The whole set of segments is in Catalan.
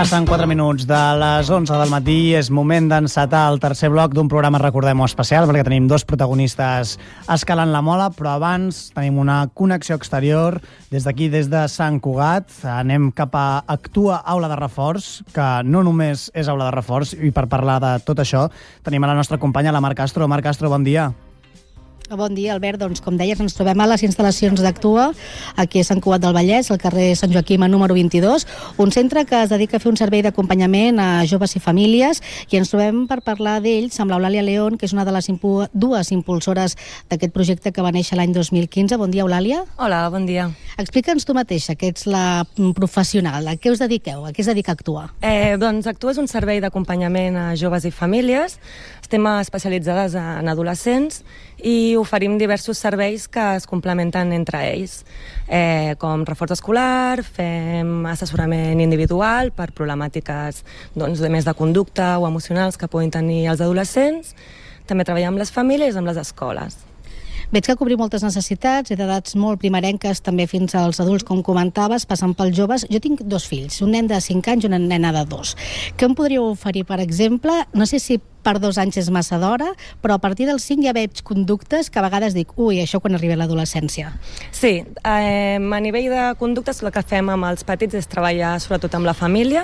Passen 4 minuts de les 11 del matí, és moment d'encetar el tercer bloc d'un programa, recordem-ho, especial, perquè tenim dos protagonistes escalant la mola, però abans tenim una connexió exterior des d'aquí, des de Sant Cugat. Anem cap a Actua Aula de Reforç, que no només és aula de reforç, i per parlar de tot això tenim a la nostra companya, la Mar Castro. Mar Castro, bon dia. Bon dia, Albert. Doncs, com deies, ens trobem a les instal·lacions d'Actua, aquí a Sant Cugat del Vallès, al carrer Sant Joaquim, número 22, un centre que es dedica a fer un servei d'acompanyament a joves i famílies, i ens trobem per parlar d'ells amb l'Eulàlia León, que és una de les dues impulsores d'aquest projecte que va néixer l'any 2015. Bon dia, Eulàlia. Hola, bon dia. Explica'ns tu mateixa, que ets la professional. A què us dediqueu? A què es dedica Actua? Doncs Actua és un servei d'acompanyament a joves i famílies. Estem especialitzades en adolescents i oferim diversos serveis que es complementen entre ells, com reforç escolar, fem assessorament individual per problemàtiques de més de conducta o emocionals que puguin tenir els adolescents. També treballem amb les famílies i amb les escoles. Veig que cobrim moltes necessitats, d'edats molt primerenques, també fins als adults, com comentaves, passant pels joves. Jo tinc 2 fills, un nen de 5 anys i una nena de 2. Què em podríeu oferir, per exemple? No sé si per 2 anys és massa d'hora, però a partir dels 5 ja veig conductes que a vegades dic, ui, això quan arribi a l'adolescència. Sí, a nivell de conductes el que fem amb els petits és treballar sobretot amb la família,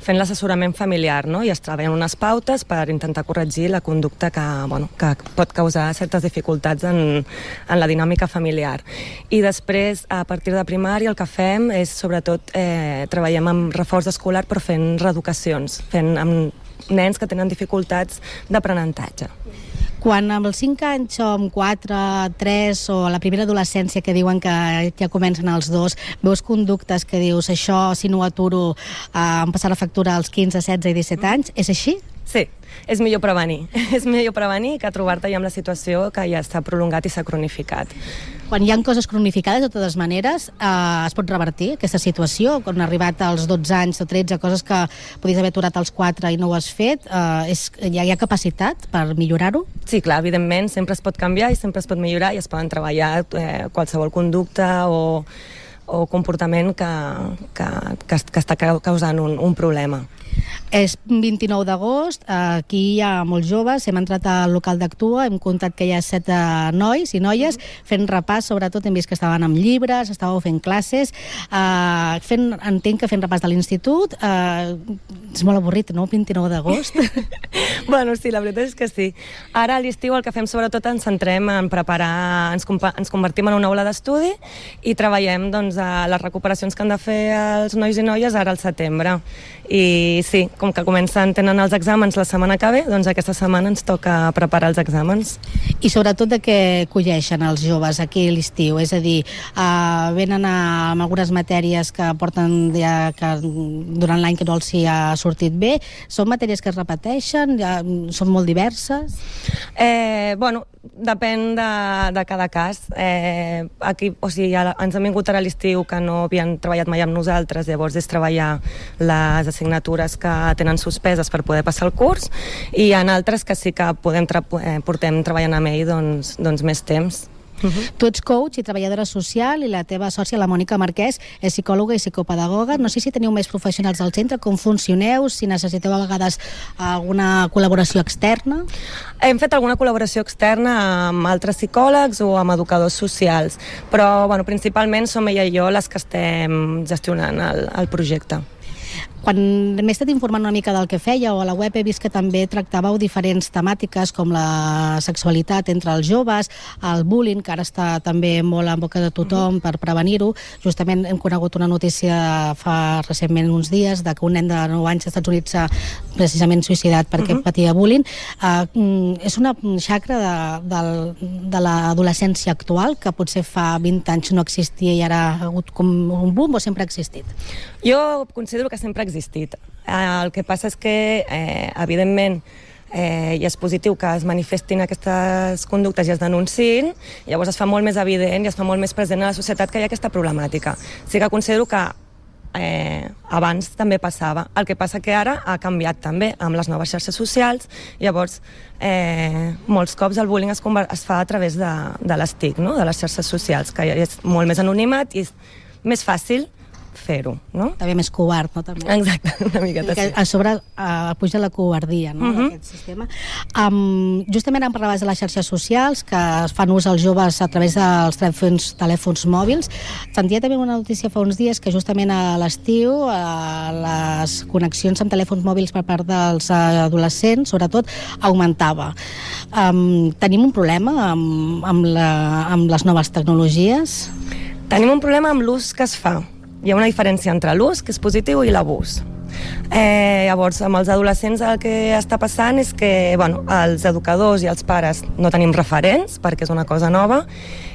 fent l'assessorament familiar, no? I es treballen unes pautes per intentar corregir la conducta que pot causar certes dificultats en la dinàmica familiar. I després, a partir de primària, el que fem és sobretot treballem amb reforç escolar, però fent reeducacions, fent amb nens que tenen dificultats d'aprenentatge. Quan amb els 5 anys o amb 4, 3 o a la primera adolescència que diuen que ja comencen els 2, veus conductes que dius això si no ho aturo em passarà la factura als 15, 16 i 17 anys, és així? Sí, és millor prevenir. És millor prevenir que trobar-te ja amb la situació que ja s'ha prolongat i s'ha cronificat. Quan hi ha coses cronificades, de totes maneres, es pot revertir aquesta situació? Quan ha arribat als 12 anys o 13, coses que podies haver aturat als 4 i no ho has fet, hi ha capacitat per millorar-ho? Sí, clar, evidentment, sempre es pot canviar i sempre es pot millorar i es poden treballar qualsevol conducta o comportament que està causant un problema. És 29 d'agost, aquí hi ha molts joves, hem entrat al local d'Actua, hem comptat que hi ha 7 nois i noies fent repàs, sobretot hem vist que estaven amb llibres, estàveu fent classes, entenc que fent repàs de l'institut. És molt avorrit, no?, 29 d'agost. Bueno, sí, la veritat és que sí. Ara a l'estiu el que fem sobretot ens centrem en preparar, ens convertim en una aula d'estudi i treballem les recuperacions que han de fer els nois i noies ara al setembre. I sí, com que tenen els exàmens la setmana que ve, doncs aquesta setmana ens toca preparar els exàmens. I sobretot de què colleixen els joves aquí a l'estiu? És a dir, venen amb algunes matèries que porten ja que durant l'any que no els hi ha sortit bé. Són matèries que es repeteixen? Són molt diverses? Bueno, depèn de cada cas. Aquí, o sigui, ens han vingut ara a l'estiu que no havien treballat mai amb nosaltres, llavors és treballar les assignatures que tenen suspeses per poder passar el curs, i hi ha altres que sí que portem treballant amb ell doncs més temps. Tu ets coach i treballadora social i la teva sòcia, la Mònica Marquès, és psicòloga i psicopedagoga. No sé si teniu més professionals al centre, com funcioneu, si necessiteu a vegades alguna col·laboració externa. Hem fet alguna col·laboració externa amb altres psicòlegs o amb educadors socials, però principalment som ella i jo les que estem gestionant el projecte. Quan m'he estat informant una mica del que fèieu, a la web he vist que també tractàveu diferents temàtiques com la sexualitat entre els joves, el bullying, que ara està també molt en boca de tothom per prevenir-ho. Justament hem conegut una notícia fa recentment uns dies de que un nen de 9 anys als Estats Units s'ha precisament suïcidat perquè patia bullying. És una xacra de l'adolescència actual que potser fa 20 anys no existia i ara ha hagut com un boom, o sempre ha existit? Jo considero que sempre ha existit. El que passa és que, evidentment, i és positiu que es manifestin aquestes conductes i es denunciïn, llavors es fa molt més evident i es fa molt més present a la societat que hi ha aquesta problemàtica. Sí que considero que abans també passava. El que passa que ara ha canviat també amb les noves xarxes socials, llavors molts cops el bullying es fa a través de les TIC, no? De les xarxes socials, que és molt més anonimat i és més fàcil fer-ho, no? També més covard, no? També. Exacte, una miqueta sí. A sobre puja la covardia, no?, d'aquest sistema. Justament em parlaves de les xarxes socials que es fan ús als joves a través dels telèfons mòbils. Sentia també una notícia fa uns dies que justament a l'estiu les connexions amb telèfons mòbils per part dels adolescents, sobretot, augmentava. Tenim un problema amb les noves tecnologies? Tenim un problema amb l'ús que es fa. Hi ha una diferència entre l'ús, que és positiu, i l'abús. Llavors, amb els adolescents el que està passant és que els educadors i els pares no tenim referents, perquè és una cosa nova,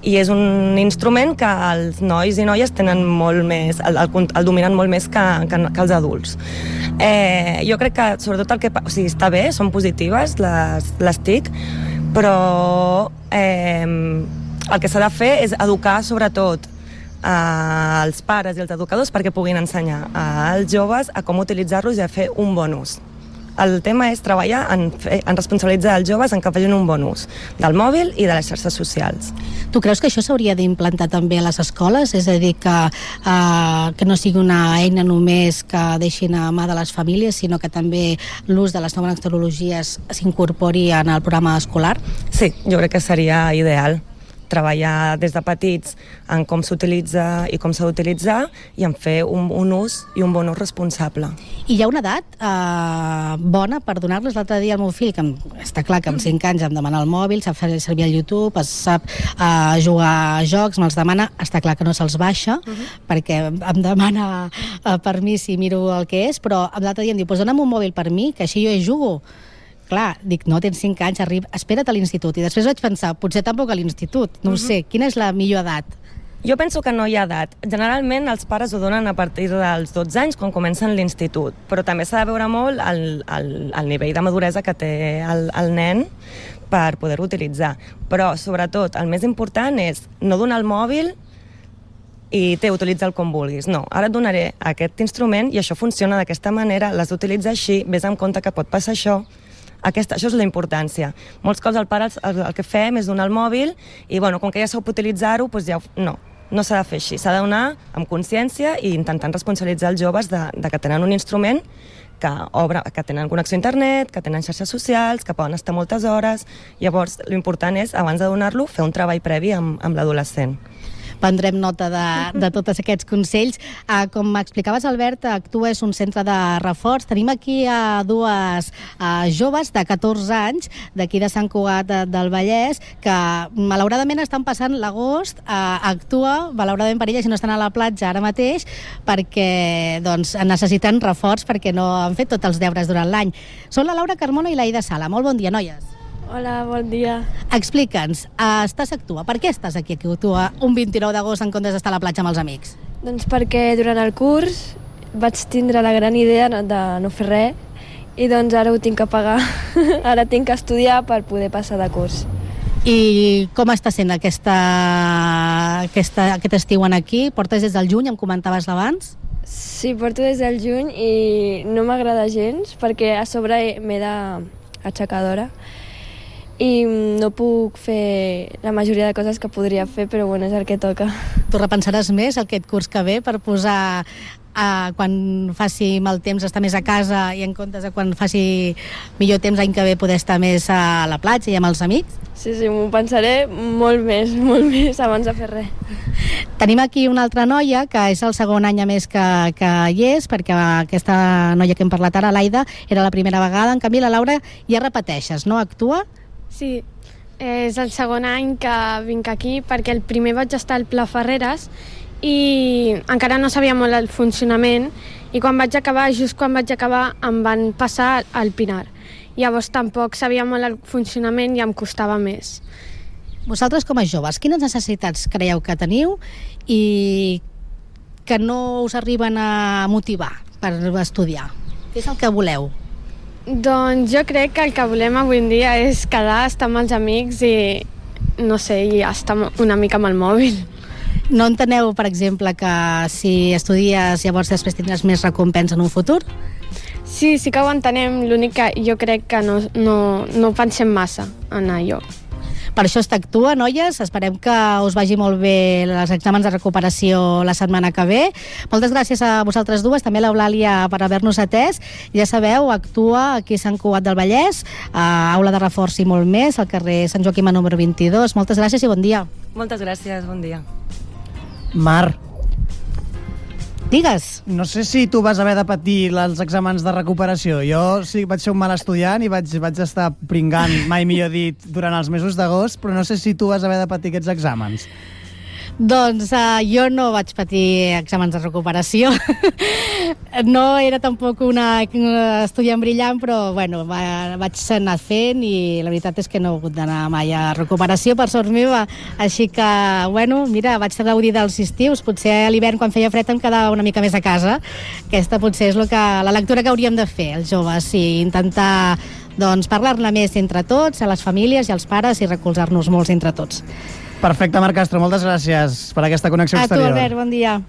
i és un instrument que els nois i noies tenen molt més, el dominen molt més que els adults. Jo crec que, sobretot, està bé, són positives les TIC, però el que s'ha de fer és educar, sobretot, als pares i als educadors perquè puguin ensenyar als joves a com utilitzar-los i a fer un bon ús. El tema és treballar en responsabilitzar els joves en que facin un bon ús del mòbil i de les xarxes socials. Tu creus que això s'hauria d'implantar també a les escoles? És a dir, que no sigui una eina només que deixin a mà de les famílies, sinó que també l'ús de les noves tecnologies s'incorpori en el programa escolar? Sí, jo crec que seria ideal treballar des de petits en com s'utilitza i com s'ha d'utilitzar i en fer un ús i un bon ús responsable. I hi ha una edat bona per donar-les? L'altre dia al meu fill, que està clar que amb 5 anys em demana el mòbil, sap fer servir el YouTube, sap jugar a jocs, me'ls demana, està clar que no se'ls baixa, perquè em demana permís i miro el que és, però l'altre dia em diu, dona'm un mòbil per mi, que així jo hi jugo. Clar, dic, no, tens 5 anys, espera't a l'institut. I després vaig pensar, potser tampoc a l'institut, no ho sé, quina és la millor edat? Jo penso que no hi ha edat. Generalment els pares ho donen a partir dels 12 anys, quan comencen l'institut, però també s'ha de veure molt el nivell de maduresa que té el nen per poder-ho utilitzar. Però, sobretot, el més important és no donar el mòbil i utilitza'l com vulguis. No, ara et donaré aquest instrument i això funciona d'aquesta manera, l'has d'utilitzar així, vés amb compte que pot passar això. Això és la importància. Molts cops el pare el que fem és donar el mòbil i, com que ja sap utilitzar-ho, doncs ja no s'ha de fer així. S'ha de donar amb consciència i intentant responsabilitzar els joves de que tenen un instrument que tenen connexió a internet, que tenen xarxes socials, que poden estar moltes hores. Llavors, l'important és, abans de donar-lo, fer un treball previ amb l'adolescent. Prendrem nota de tots aquests consells. Com m'explicaves, Albert, actues un centre de reforç. Tenim aquí dues joves de 14 anys d'aquí de Sant Cugat del Vallès que malauradament estan passant l'agost. Actua, malauradament per elles, i no estan a la platja ara mateix perquè necessiten reforç perquè no han fet tots els deures durant l'any. Són la Laura Carmona i l'Aida Sala. Molt bon dia, noies. Hola, bon dia. Explica'ns, estàs a Actua. Per què estàs aquí a Actua un 29 d'agost en comptes d'estar a la platja amb els amics? Doncs perquè durant el curs vaig tindre la gran idea de no fer res i doncs ara ho tinc que pagar. Ara tinc que estudiar per poder passar de curs. I com està sent aquest estiu aquí? Portes des del juny, em comentaves abans? Sí, porto des del juny i no m'agrada gens perquè a sobre m'he d'aixecar d'hora i no puc fer la majoria de coses que podria fer, però és el que toca. Tu repensaràs més aquest curs que ve per posar quan faci mal temps estar més a casa i en comptes de quan faci millor temps l'any que ve poder estar més a la platja i amb els amics? Sí, m'ho pensaré molt més abans de fer res. Tenim aquí una altra noia que és el segon any a més que hi és, perquè aquesta noia que hem parlat ara, l'Aida, era la primera vegada. En canvi, la Laura ja repeteixes, no? Actua? Sí, és el segon any que vinc aquí perquè el primer vaig estar al Pla Ferreres i encara no sabia molt el funcionament i just quan vaig acabar em van passar al Pinar. Llavors tampoc sabia molt el funcionament i em costava més. Vosaltres com a joves, quines necessitats creieu que teniu i que no us arriben a motivar per estudiar? Què és el que voleu? Doncs jo crec que el que volem avui en dia és quedar, estar amb els amics i, no sé, i estar una mica amb el mòbil. No enteneu, per exemple, que si estudies llavors després tindràs més recompensa en un futur? Sí que ho entenem, l'únic que jo crec que no pensem massa en allò. Per això està Actua, noies. Esperem que us vagi molt bé els exàmens de recuperació la setmana que ve. Moltes gràcies a vosaltres dues, també a l'Eulàlia per haver-nos atès. Ja sabeu, Actua aquí a Sant Cugat del Vallès, a Aula de Reforç i molt més, al carrer Sant Joaquim número 22. Moltes gràcies i bon dia. Moltes gràcies, bon dia. Mar, digues. no sé si tu vas haver de patir els exàmens de recuperació. Jo sí vaig ser un mal estudiant i vaig estar pringant, mai millor dit, durant els mesos d'agost, però no sé si tu vas haver de patir aquests exàmens. Doncs jo no vaig patir exàmens de recuperació. No era tampoc una estudiant brillant, però bueno, vaig anar fent i la veritat és que no he hagut d'anar mai a recuperació, per sort meva. Així que, bueno, mira, vaig gaudir dels estius. Potser a l'hivern, quan feia fred, em quedava una mica més a casa. Aquesta potser és la lectura que hauríem de fer, els joves, i intentar doncs, parlar-ne més entre tots, a les famílies i als pares, i recolzar-nos molts entre tots. Perfecte, Marc Castro, moltes gràcies per aquesta connexió exterior. A tu, Albert, bon dia.